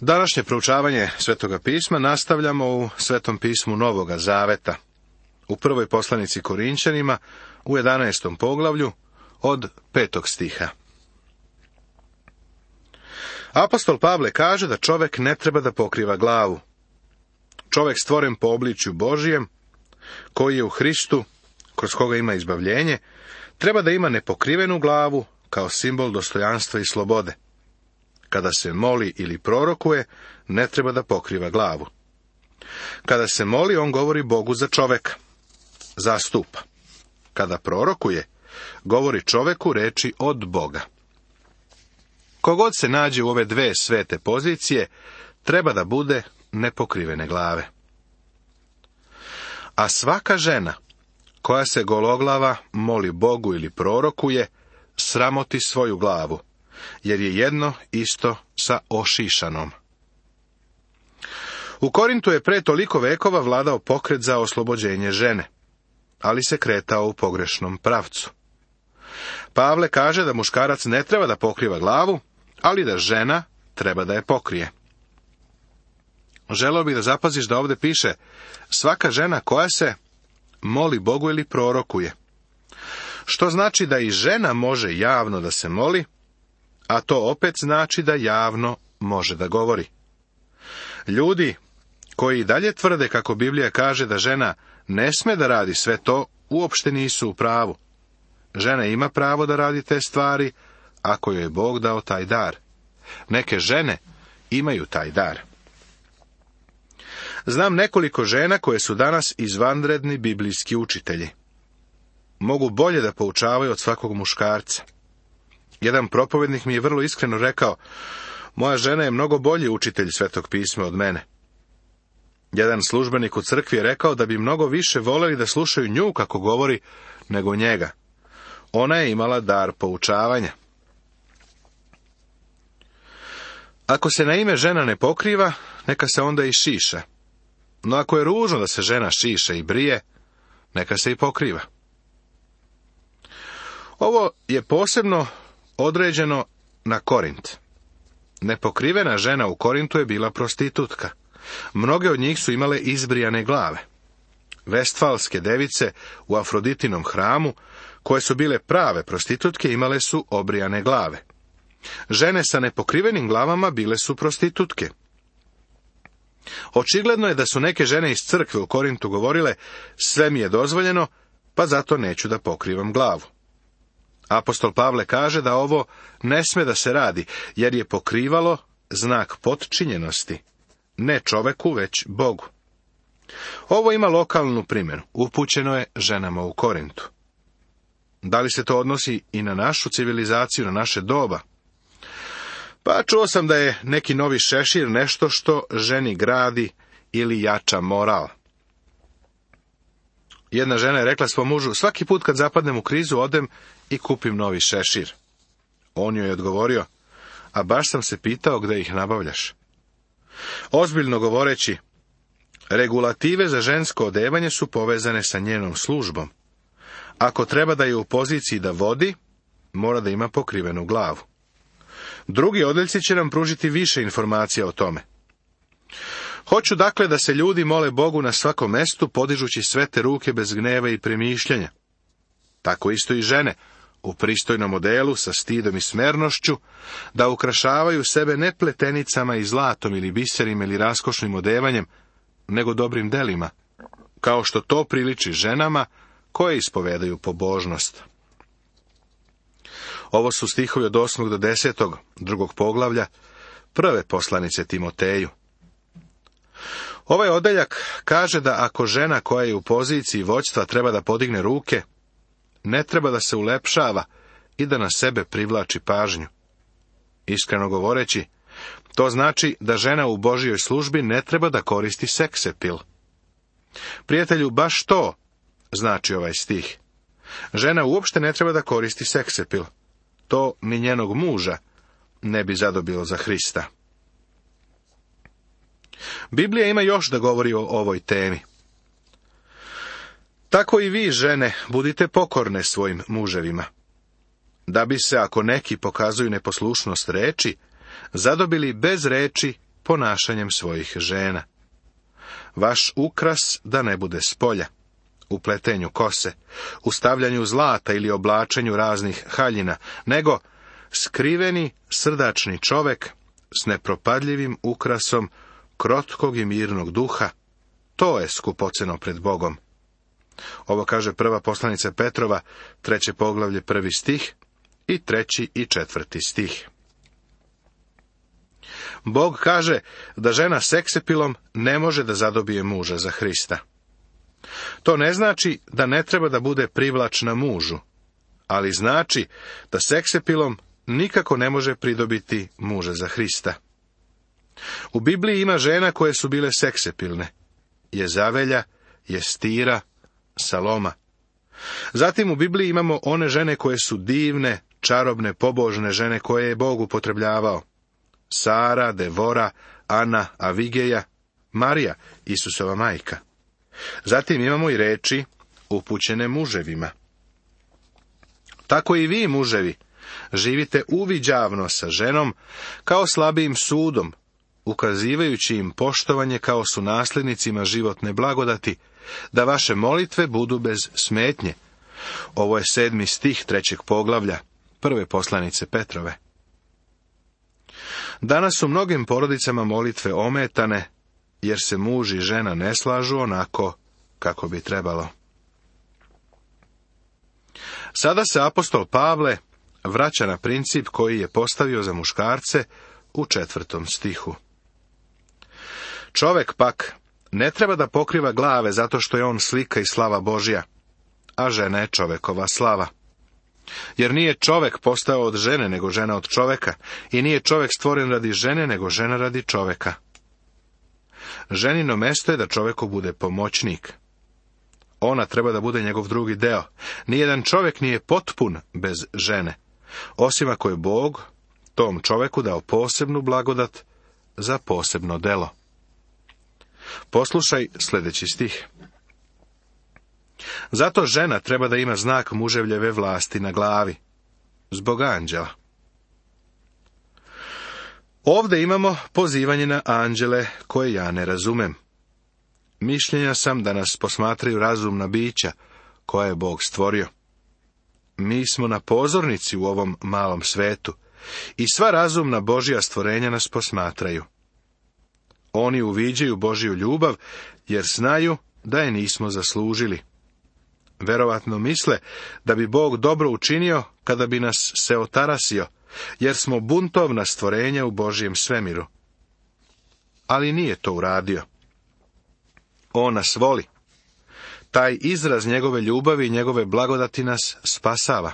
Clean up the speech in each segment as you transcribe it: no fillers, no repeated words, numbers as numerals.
Današnje proučavanje Svetoga pisma nastavljamo u Svetom pismu Novoga Zaveta, u prvoj poslanici Korinćanima, u 11. poglavlju, od 5. stiha. Apostol Pavle kaže da čovek ne treba da pokriva glavu. Čovek stvoren po obličju Božijem, koji je u Hristu, kroz koga ima izbavljenje, treba da ima nepokrivenu glavu kao simbol dostojanstva i slobode. Kada se moli ili prorokuje, ne treba da pokriva glavu. Kada se moli, on govori Bogu za čoveka, zastupa. Kada prorokuje, govori čoveku reči od Boga. Kogod se nađe u ove dve svete pozicije, treba da bude nepokrivene glave. A svaka žena koja se gologlava moli Bogu ili prorokuje, sramoti svoju glavu, jer je jedno isto sa ošišanom. U Korintu je pre toliko vekova vladao pokret za oslobođenje žene, ali se kretao u pogrešnom pravcu. Pavle kaže da muškarac ne treba da pokriva glavu, ali da žena treba da je pokrije. Želeo bih da zapaziš da ovdje piše svaka žena koja se moli Bogu ili prorokuje. Što znači da i žena može javno da se moli, a to opet znači da javno može da govori. Ljudi koji dalje tvrde kako Biblija kaže da žena ne sme da radi sve to, uopšte nisu u pravu. Žena ima pravo da radi te stvari, ako joj je Bog dao taj dar. Neke žene imaju taj dar. Znam nekoliko žena koje su danas izvanredni biblijski učitelji. Mogu bolje da poučavaju od svakog muškarca. Jedan propovednik mi je vrlo iskreno rekao, moja žena je mnogo bolji učitelj Svetog pisma od mene. Jedan službenik u crkvi je rekao da bi mnogo više voleli da slušaju nju kako govori, nego njega. Ona je imala dar poučavanja. Ako se na ime žena ne pokriva, neka se onda i šiša. No ako je ružno da se žena šiša i brije, neka se i pokriva. Ovo je posebno određeno na Korint. Nepokrivena žena u Korintu je bila prostitutka. Mnoge od njih su imale izbrijane glave. Vestfalske device u Afroditinom hramu, koje su bile prave prostitutke, imale su obrijane glave. Žene sa nepokrivenim glavama bile su prostitutke. Očigledno je da su neke žene iz crkve u Korintu govorile, sve mi je dozvoljeno, pa zato neću da pokrivam glavu. Apostol Pavle kaže da ovo ne sme da se radi, jer je pokrivalo znak potčinjenosti, ne čoveku, već Bogu. Ovo ima lokalnu primjenu, upućeno je ženama u Korintu. Da li se to odnosi i na našu civilizaciju, na naše doba? Pa čuo sam da je neki novi šešir nešto što ženi gradi ili jača moral. Jedna žena je rekla svom mužu, svaki put kad zapadnem u krizu odem i kupim novi šešir. On joj je odgovorio, a baš sam se pitao gde ih nabavljaš. Ozbiljno govoreći, regulative za žensko odevanje su povezane sa njenom službom. Ako treba da je u poziciji da vodi, mora da ima pokrivenu glavu. Drugi odjeljci će nam pružiti više informacija o tome. Hoću dakle da se ljudi mole Bogu na svakom mestu, podižući svete ruke bez gneva i premišljanja. Tako isto i žene, u pristojnom odelu, sa stidom i smernošću, da ukrašavaju sebe ne pletenicama i zlatom ili biserima ili raskošnim odevanjem, nego dobrim delima, kao što to priliči ženama koje ispovedaju pobožnost. Ovo su stihovi od 8. do 10. drugog poglavlja prve poslanice Timoteju. Ovaj odeljak kaže da ako žena koja je u poziciji vođstva treba da podigne ruke, ne treba da se ulepšava i da na sebe privlači pažnju. Iskreno govoreći, to znači da žena u Božjoj službi ne treba da koristi seksepil. Prijatelju, baš to znači ovaj stih. Žena uopšte ne treba da koristi seksepil. To ni njenog muža ne bi zadobilo za Hrista. Biblija ima još da govori o ovoj temi. Tako i vi, žene, budite pokorne svojim muževima, da bi se, ako neki pokazuju neposlušnost reči, zadobili bez reči ponašanjem svojih žena. Vaš ukras da ne bude spolja, u pletenju kose, u stavljanju zlata ili oblačenju raznih haljina, nego skriveni, srdačni čovek s nepropadljivim ukrasom krotkog i mirnog duha, to je skupoceno pred Bogom. Ovo kaže prva poslanica Petrova, 3. poglavlje, 1. stih i 3. i 4. stih. Bog kaže da žena seksepilom ne može da zadobije muža za Hrista. To ne znači da ne treba da bude privlačna mužu, ali znači da seksepilom nikako ne može pridobiti muža za Hrista. U Bibliji ima žena koje su bile seksepilne. Jezavelja, Jestira, Saloma. Zatim u Bibliji imamo one žene koje su divne, čarobne, pobožne žene koje je Bog upotrebljavao. Sara, Devora, Ana, Avigeja, Marija, Isusova majka. Zatim imamo i reči upućene muževima. Tako i vi, muževi, živite uviđavno sa ženom kao slabijim sudom, ukazivajući im poštovanje kao su nasljednicima životne blagodati, da vaše molitve budu bez smetnje. Ovo je 7. stih 3. poglavlja, prve poslanice Petrove. Danas u mnogim porodicama molitve ometane, jer se muž i žena ne slažu onako kako bi trebalo. Sada se apostol Pavle vraća na princip koji je postavio za muškarce u 4. stihu. Čovek pak ne treba da pokriva glave zato što je on slika i slava Božja, a žena je čovekova slava. Jer nije čovek postao od žene, nego žena od čoveka, i nije čovek stvoren radi žene, nego žena radi čoveka. Ženino mesto je da čoveku bude pomoćnik. Ona treba da bude njegov drugi deo. Nijedan čovek nije potpun bez žene, osim ako je Bog tom čoveku dao posebnu blagodat za posebno delo. Poslušaj sljedeći stih. Zato žena treba da ima znak muževljeve vlasti na glavi, zbog anđela. Ovdje imamo pozivanje na anđele koje ja ne razumem. Mišljenja sam da nas posmatraju razumna bića koja je Bog stvorio. Mi smo na pozornici u ovom malom svetu i sva razumna Božja stvorenja nas posmatraju. Oni uviđaju Božju ljubav jer znaju da je nismo zaslužili. Verovatno misle da bi Bog dobro učinio kada bi nas se otarasio, jer smo buntovna stvorenja u Božjem svemiru. Ali nije to uradio. On nas voli. Taj izraz njegove ljubavi i njegove blagodati nas spasava.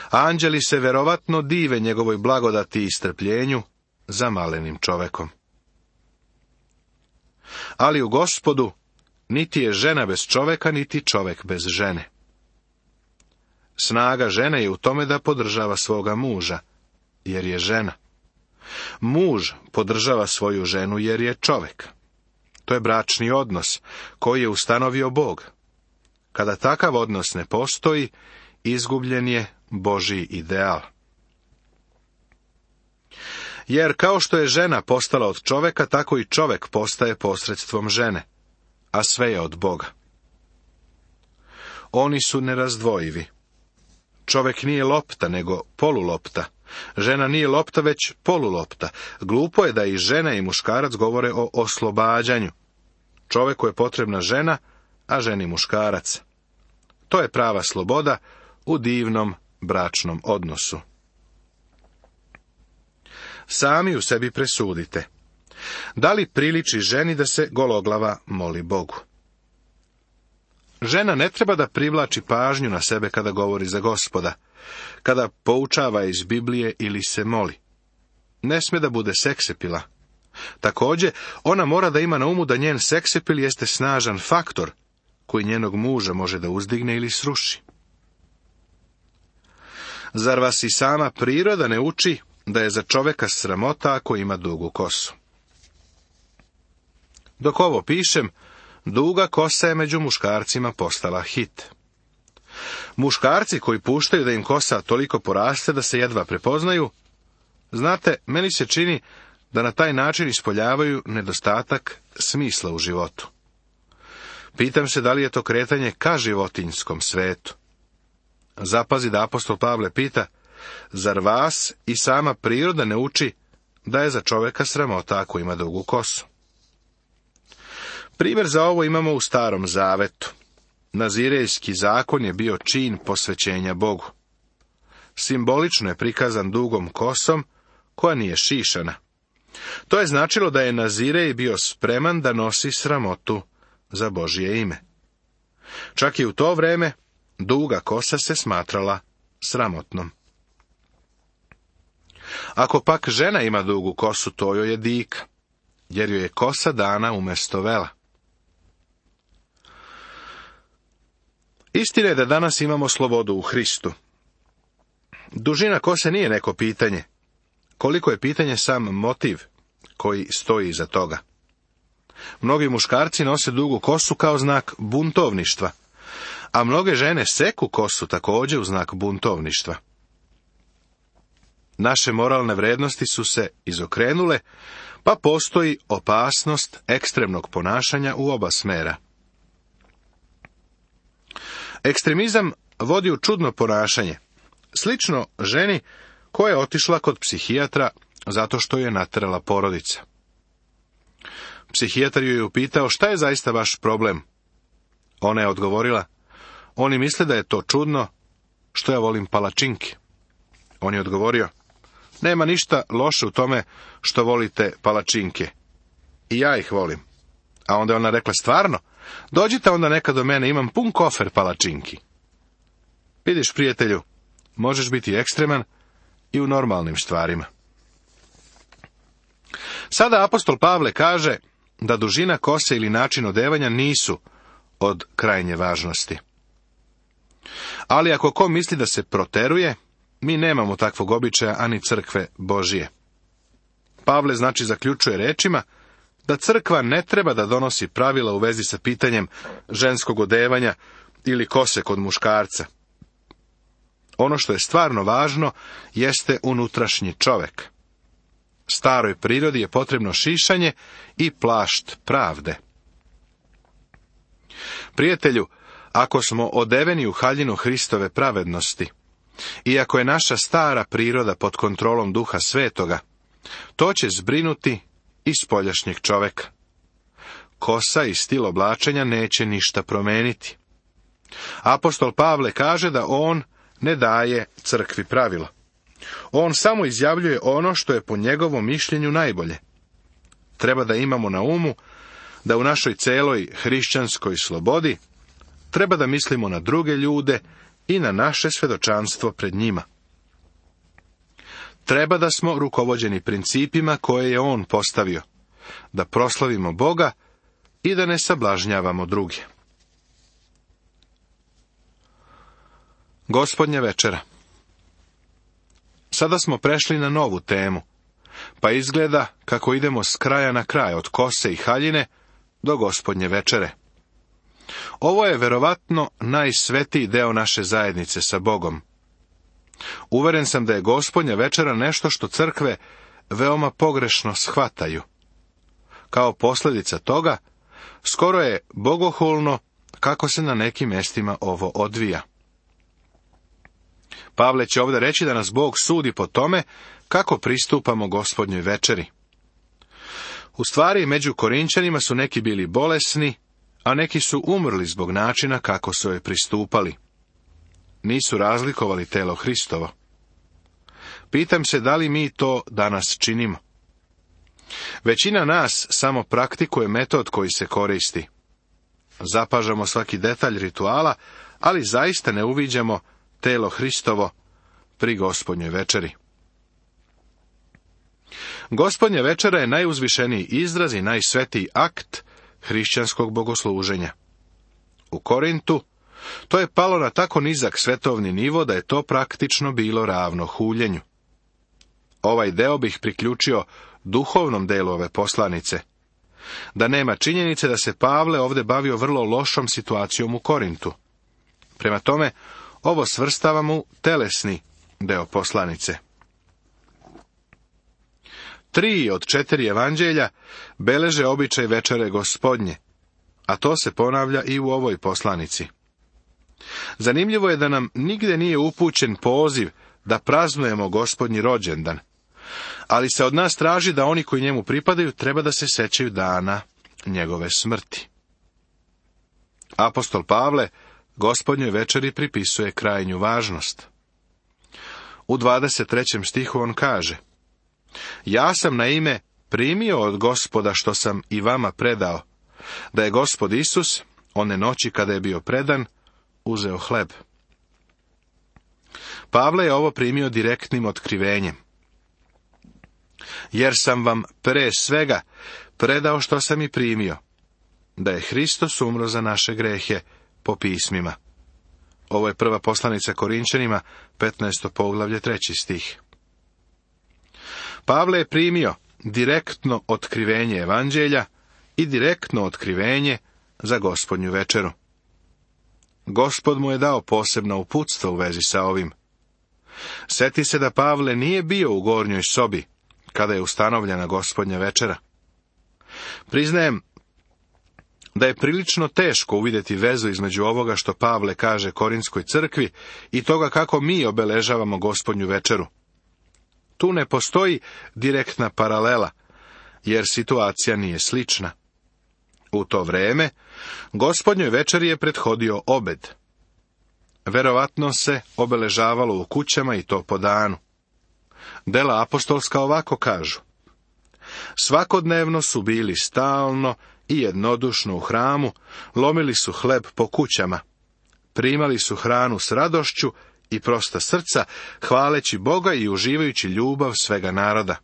Anđeli se verovatno dive njegovoj blagodati i strpljenju za malenim čovekom. Ali u Gospodu niti je žena bez čoveka, niti čovek bez žene. Snaga žene je u tome da podržava svoga muža, jer je žena. Muž podržava svoju ženu jer je čovek. To je bračni odnos koji je ustanovio Bog. Kada takav odnos ne postoji, izgubljen je Božji ideal. Jer kao što je žena postala od čoveka, tako i čovek postaje posredstvom žene, a sve je od Boga. Oni su nerazdvojivi. Čovek nije lopta, nego polulopta. Žena nije lopta, već polulopta. Glupo je da i žena i muškarac govore o oslobađanju. Čoveku je potrebna žena, a ženi muškarac. To je prava sloboda u divnom bračnom odnosu. Sami u sebi presudite. Da li priliči ženi da se gologlava moli Bogu? Žena ne treba da privlači pažnju na sebe kada govori za Gospoda, kada poučava iz Biblije ili se moli. Ne sme da bude seksepila. Također, ona mora da ima na umu da njen seksepil jeste snažan faktor koji njenog muža može da uzdigne ili sruši. Zar vas i sama priroda ne uči da je za čoveka sramota ako ima dugu kosu? Dok ovo pišem, duga kosa je među muškarcima postala hit. Muškarci koji puštaju da im kosa toliko poraste da se jedva prepoznaju, znate, meni se čini da na taj način ispoljavaju nedostatak smisla u životu. Pitam se da li je to kretanje ka životinjskom svetu. Zapazi da apostol Pavle pita, zar vas i sama priroda ne uči da je za čovjeka sramota ako ima dugu kosu? Primjer za ovo imamo u Starom Zavetu. Nazirejski zakon je bio čin posvećenja Bogu. Simbolično je prikazan dugom kosom koja nije šišana. To je značilo da je Nazirej bio spreman da nosi sramotu za Božje ime. Čak i u to vrijeme duga kosa se smatrala sramotnom. Ako pak žena ima dugu kosu, to joj je dika, jer joj je kosa dana umjesto vela. Istina je da danas imamo slobodu u Hristu. Dužina kose nije neko pitanje, koliko je pitanje sam motiv koji stoji iza toga. Mnogi muškarci nose dugu kosu kao znak buntovništva, a mnoge žene seku kosu također u znak buntovništva. Naše moralne vrednosti su se izokrenule, pa postoji opasnost ekstremnog ponašanja u oba smera. Ekstremizam vodi u čudno ponašanje, slično ženi koja je otišla kod psihijatra zato što je naterala porodica. Psihijatar ju je upitao šta je zaista vaš problem. Ona je odgovorila, oni misle da je to čudno što ja volim palačinke. On je odgovorio, nema ništa loše u tome što volite palačinke. I ja ih volim. A onda je ona rekla, stvarno? Dođite onda nekad do mene, imam pun kofer palačinki. Vidiš, prijatelju, možeš biti ekstreman i u normalnim stvarima. Sada apostol Pavle kaže da dužina kose ili način odevanja nisu od krajnje važnosti. Ali ako ko misli da se proteruje, mi nemamo takvog običaja ani crkve Božije. Pavle znači zaključuje rečima da crkva ne treba da donosi pravila u vezi sa pitanjem ženskog odevanja ili kose kod muškarca. Ono što je stvarno važno jeste unutrašnji čovjek. Staroj prirodi je potrebno šišanje i plašt pravde. Prijatelju, ako smo odeveni u haljinu Hristove pravednosti, i ako je naša stara priroda pod kontrolom Duha Svetoga, to će zbrinuti i spoljašnjeg čovjeka. Kosa i stil oblačenja neće ništa promeniti. Apostol Pavle kaže da on ne daje crkvi pravilo. On samo izjavljuje ono što je po njegovom mišljenju najbolje. Treba da imamo na umu da u našoj celoj hrišćanskoj slobodi treba da mislimo na druge ljude i na naše svedočanstvo pred njima. Treba da smo rukovođeni principima koje je on postavio, da proslavimo Boga i da ne sablažnjavamo druge. Gospodnja večera. Sada smo prešli na novu temu, pa izgleda kako idemo s kraja na kraj, od kose i haljine do Gospodnje večere. Ovo je verovatno najsvetiji deo naše zajednice sa Bogom. Uveren sam da je Gospodnja večera nešto što crkve veoma pogrešno shvataju. Kao posljedica toga, skoro je bogohulno kako se na nekim mjestima ovo odvija. Pavle će ovdje reći da nas Bog sudi po tome kako pristupamo Gospodnjoj večeri. U stvari, među Korinčanima su neki bili bolesni, a neki su umrli zbog načina kako su joj pristupali. Nisu razlikovali telo Hristovo. Pitam se da li mi to danas činimo. Većina nas samo praktikuje metod koji se koristi. Zapažamo svaki detalj rituala, ali zaista ne uviđamo telo Hristovo pri Gospodnjoj večeri. Gospodnja večera je najuzvišeniji izraz i najsvetiji akt hrišćanskog bogosluženja. U Korintu to je palo na tako nizak svetovni nivo da je to praktično bilo ravno huljenju. Ovaj deo bih priključio duhovnom delu ove poslanice. Da nema činjenice da se Pavle ovdje bavio vrlo lošom situacijom u Korintu. Prema tome, ovo svrstavam u telesni deo poslanice. 3 od 4 evanđelja beleže običaj večere Gospodnje, a to se ponavlja i u ovoj poslanici. Zanimljivo je da nam nigde nije upućen poziv da praznujemo Gospodnji rođendan, ali se od nas traži da oni koji njemu pripadaju treba da se sećaju dana njegove smrti. Apostol Pavle Gospodnjoj večeri pripisuje krajnju važnost. U 23. stihu on kaže: Ja sam naime primio od Gospoda što sam i vama predao, da je Gospod Isus, one noći kada je bio predan, uzeo hleb. Pavle je ovo primio direktnim otkrivenjem. Jer sam vam pre svega predao što sam i primio, da je Hristos umro za naše grehe po pismima. Ovo je prva poslanica Korinčanima, 15. poglavlje, 3. stih. Pavle je primio direktno otkrivenje evanđelja i direktno otkrivenje za Gospodnju večeru. Gospod mu je dao posebno uputstvo u vezi sa ovim. Sjeti se da Pavle nije bio u gornjoj sobi kada je ustanovljena Gospodnja večera. Priznajem da je prilično teško uvidjeti vezu između ovoga što Pavle kaže Korinskoj crkvi i toga kako mi obeležavamo Gospodnju večeru. Tu ne postoji direktna paralela, jer situacija nije slična. U to vrijeme Gospodnjoj večeri je prethodio obed. Verovatno se obeležavalo u kućama i to po danu. Dela apostolska ovako kažu: Svakodnevno su bili stalno i jednodušno u hramu, lomili su hleb po kućama, primali su hranu s radošću i prosta srca, hvaleći Boga i uživajući ljubav svega naroda.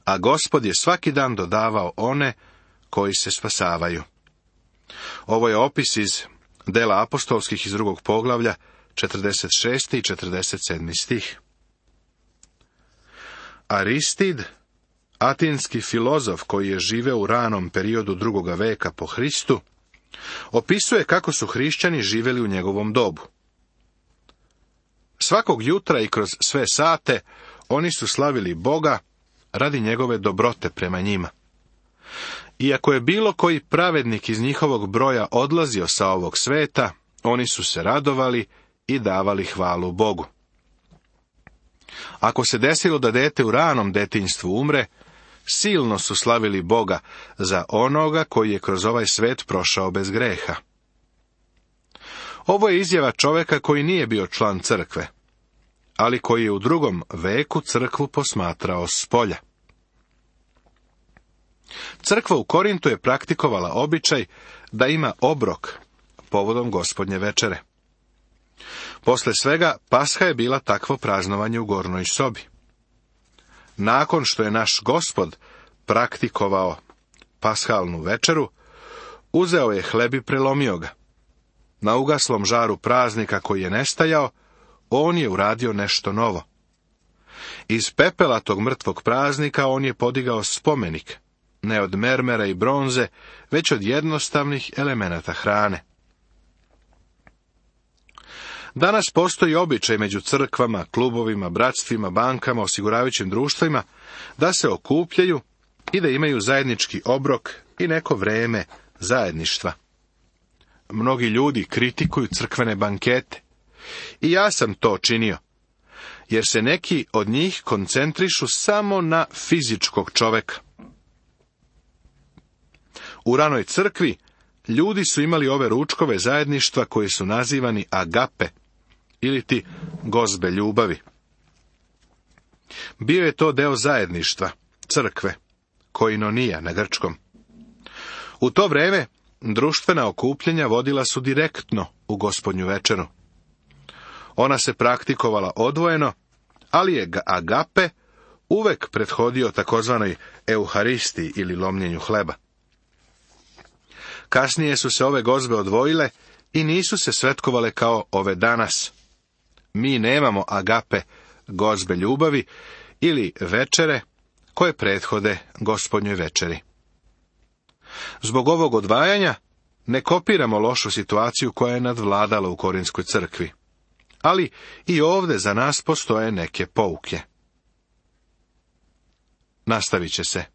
A Gospod je svaki dan dodavao one koji se spasavaju. Ovo je opis iz Dela apostolskih iz 2. poglavlja, 46. i 47. stih. Aristid, atinski filozof koji je živeo u ranom periodu 2. veka po Hristu, opisuje kako su hrišćani živjeli u njegovom dobu. Svakog jutra i kroz sve sate oni su slavili Boga radi njegove dobrote prema njima. Iako je bilo koji pravednik iz njihovog broja odlazio sa ovog sveta, oni su se radovali i davali hvalu Bogu. Ako se desilo da dete u ranom detinjstvu umre, silno su slavili Boga za onoga koji je kroz ovaj svet prošao bez greha. Ovo je izjava čovjeka koji nije bio član crkve, ali koji je u 2. veku crkvu posmatrao s polja. Crkva u Korintu je praktikovala običaj da ima obrok povodom Gospodnje večere. Posle svega, Pasha je bila takvo praznovanje u gornjoj sobi. Nakon što je naš Gospod praktikovao pashalnu večeru, uzeo je hleb i prelomio ga. Na ugaslom žaru praznika koji je nestajao, on je uradio nešto novo. Iz pepela tog mrtvog praznika on je podigao spomenik, ne od mermera i bronze, već od jednostavnih elemenata hrane. Danas postoji običaj među crkvama, klubovima, bratstvima, bankama, osiguravajućim društvima da se okupljaju i da imaju zajednički obrok i neko vrijeme zajedništva. Mnogi ljudi kritikuju crkvene bankete. I ja sam to činio, jer se neki od njih koncentrišu samo na fizičkog čoveka. U ranoj crkvi ljudi su imali ove ručkove zajedništva koji su nazivani agape, ili ti gozbe ljubavi. Bio je to deo zajedništva, crkve, koinonija na grčkom. U to vrijeme društvena okupljanja vodila su direktno u Gospodnju večeru. Ona se praktikovala odvojeno, ali je agape uvek prethodio takozvanoj euharistiji ili lomljenju hleba. Kasnije su se ove gozbe odvojile i nisu se svetkovale kao ove danas. Mi nemamo agape, gozbe ljubavi ili večere koje prethode Gospodnjoj večeri. Zbog ovog odvajanja ne kopiramo lošu situaciju koja je nadvladala u Korinskoj crkvi. Ali i ovdje za nas postoje neke pouke. nastavit će se.